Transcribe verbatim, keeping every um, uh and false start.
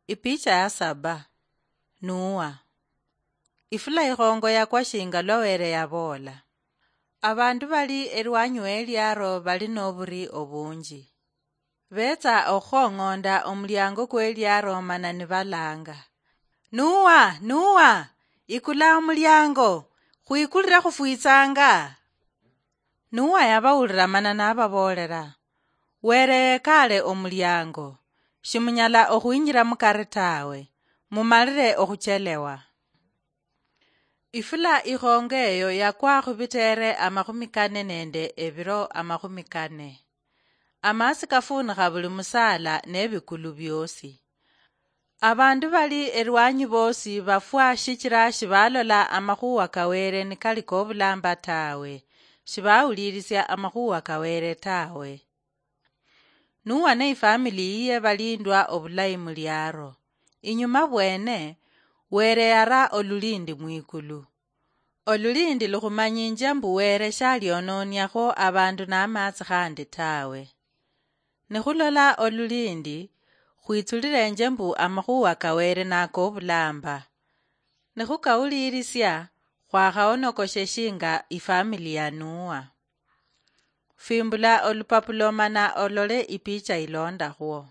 Ipicha ya saba. Nuwa. Ifula ikhongo yakwa shinga lwa Were yaboola. Abandu bali erwanyi w'eliaro bali noburi obunji. Betsa okhukhong'onda omuliango kw'eliaro mana nibalanga, "Nuwa, Nuwa, ikula omuliango, khwikulire khufwitsanga." Nuwa yabawulira mana nababoolera, "Were yekaale omuliango, shimunyala okhwinjira mukari tawe, mumalire okhuchelewa." Ifula ikhongo eyo yakwa khubiteere amakhumi kane nende ebiro amakhumi kane. Amaasi kafuunikha buli musaala nebikulu biosi. Abandu bali erwanyi boosi bafwa shichira shibalola amakhuwa ka Were nikali kobulamba tawe, shibawulirisia amakhuwa ka Were tawe. Nuwa ne ifamili yiye balindwa obulayi muliaro. Inyuma bwene, Were yara olulindi mwikulu. Olulindi lukhumanyinjia mbu Were shaliononiakho abandu namatsi khandi tawe. Nikhulola olulindi, khwitsulirenje mbu amakhuwa ka Were nakobulamba. Nikhukawulirisia, khwakhaonokoshe shinga ifamili ya Nuwa. Fimbula olupapulo mana olole ipicha ilondakhwo.